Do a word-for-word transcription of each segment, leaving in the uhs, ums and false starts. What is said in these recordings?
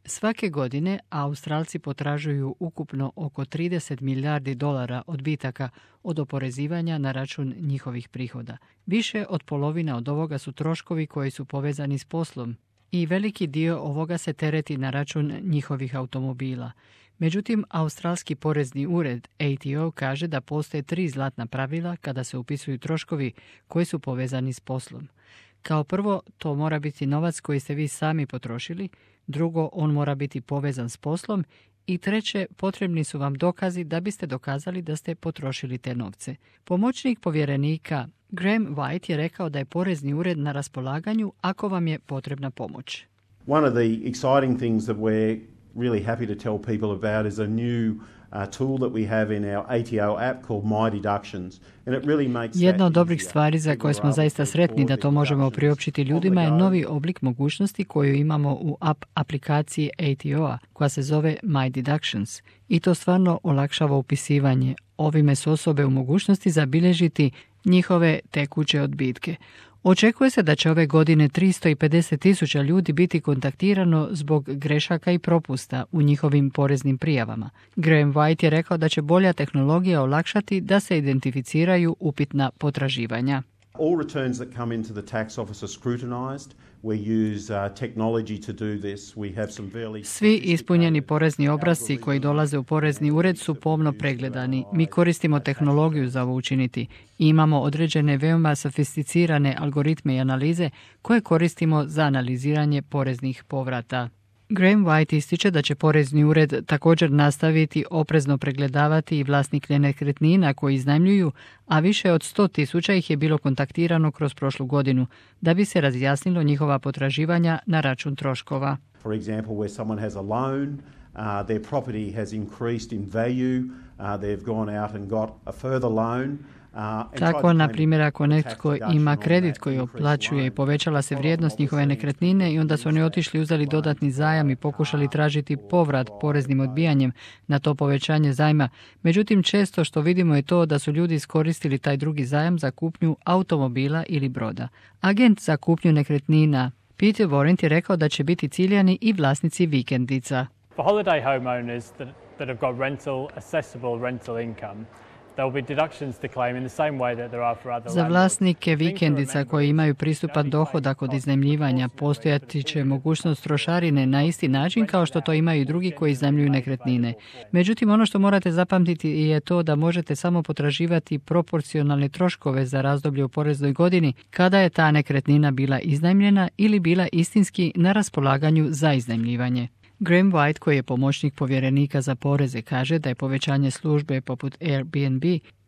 Svake godine Australci potražuju ukupno oko trideset milijardi dolara odbitaka od oporezivanja na račun njihovih prihoda. Više od polovina od ovoga su troškovi koji su povezani s poslom i veliki dio ovoga se tereti na račun njihovih automobila. Međutim, Australski porezni ured A T O kaže da postoje tri zlatna pravila kada se upisuju troškovi koji su povezani s poslom. Kao prvo, to mora biti novac koji ste vi sami potrošili, drugo, on mora biti povezan s poslom i treće, potrebni su vam dokazi da biste dokazali da ste potrošili te novce. Pomoćnik povjerenika Graham White je rekao da je porezni ured na raspolaganju ako vam je potrebna pomoć. One of the exciting things that we're really happy to tell people about is a new Uh, tool that we have in our A T O app called My Deductions. And it really makes Jedna od dobrih stvari za koje smo zaista sretni da to možemo priopćiti ljudima je novi oblik mogućnosti koju imamo u app aplikaciji A T O-a koja se zove My Deductions. I to stvarno olakšava upisivanje. Ovime su osobe u mogućnosti zabilježiti njihove tekuće odbitke. Očekuje se da će ove godine tristo pedeset tisuća ljudi biti kontaktirano zbog grešaka i propusta u njihovim poreznim prijavama. Graham White je rekao da će bolja tehnologija olakšati da se identificiraju upitna potraživanja. All returns that come into the tax office are scrutinized. We use uh, technology to do this. We have some very Svi ispunjeni porezni obrasci koji dolaze u porezni ured su pomno pregledani. Mi koristimo tehnologiju za ovo učiniti. Imamo određene veoma sofisticirane algoritme i analize koje koristimo za analiziranje poreznih povrata. Graham White ističe da će porezni ured također nastaviti oprezno pregledavati i vlasnike nekretnina koji iznajmljuju, a više od sto tisuća ih je bilo kontaktirano kroz prošlu godinu, da bi se razjasnilo njihova potraživanja na račun troškova. For example, where someone has a loan, uh, their property has increased in value, uh, they've gone out and got a further loan. Tako, na primjer, ako netko ima kredit koji otplaćuje i povećala se vrijednost njihove nekretnine i onda su oni otišli, uzeli dodatni zajam i pokušali tražiti povrat poreznim odbijanjem na to povećanje zajma. Međutim, često što vidimo je to da su ljudi iskoristili taj drugi zajam za kupnju automobila ili broda. Agent za kupnju nekretnina Peter Warrant je rekao da će biti ciljani i vlasnici vikendica. For holiday homeowners that, that have got rental, accessible rental income, Za vlasnike vikendica koji imaju pristupan dohodak od iznajmljivanja postojati će mogućnost trošarine na isti način kao što to imaju i drugi koji iznajmljuju nekretnine. Međutim, ono što morate zapamtiti je to da možete samo potraživati proporcionalne troškove za razdoblje u poreznoj godini kada je ta nekretnina bila iznajmljena ili bila istinski na raspolaganju za iznajmljivanje. Graham White, koji je pomoćnik povjerenika za poreze, kaže da je povećanje službe poput Airbnb,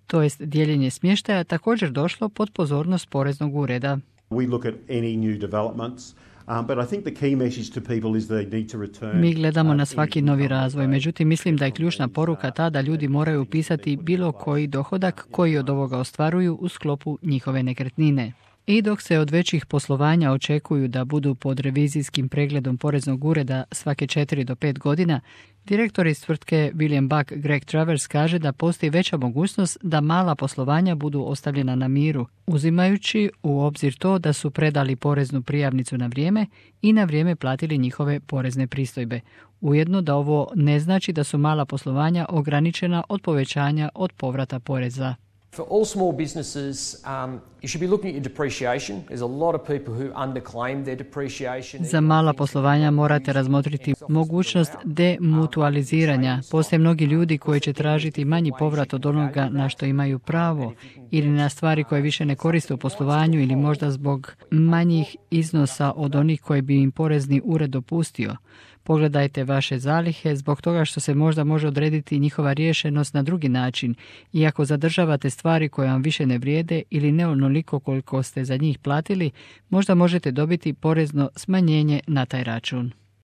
to jest dijeljenje smještaja, također došlo pod pozornost poreznog ureda. We look at any new developments. Um, but I think the key message to people is they need to return. Mi gledamo na svaki novi razvoj, međutim mislim da je ključna poruka ta da ljudi moraju upisati bilo koji dohodak koji od ovoga ostvaruju u sklopu njihove nekretnine. I dok se od većih poslovanja očekuju da budu pod revizijskim pregledom poreznog ureda svake četiri do pet godina, direktor iz tvrtke William Buck Greg Travers kaže da postoji veća mogućnost da mala poslovanja budu ostavljena na miru, uzimajući u obzir to da su predali poreznu prijavnicu na vrijeme i na vrijeme platili njihove porezne pristojbe. Ujedno da ovo ne znači da su mala poslovanja ograničena od povećanja od povrata poreza. For all small businesses, um, you should be looking at your depreciation. There's a lot of people who underclaim their depreciation. Za mala poslovanja morate razmotriti mogućnost demutualiziranja. Postoje mnogi ljudi koji će tražiti manji povrat od onoga na što imaju pravo ili na stvari koje više ne koriste u poslovanju ili možda zbog manjih iznosa od onih koje bi im porezni ured dopustio. Pogledajte vaše zalihe zbog toga što se možda može odrediti njihova riješenost na drugi način. Iako zadržavate stvari koje vam više ne vrijede ili ne onoliko koliko ste za njih platili, možda možete dobiti porezno smanjenje na taj račun.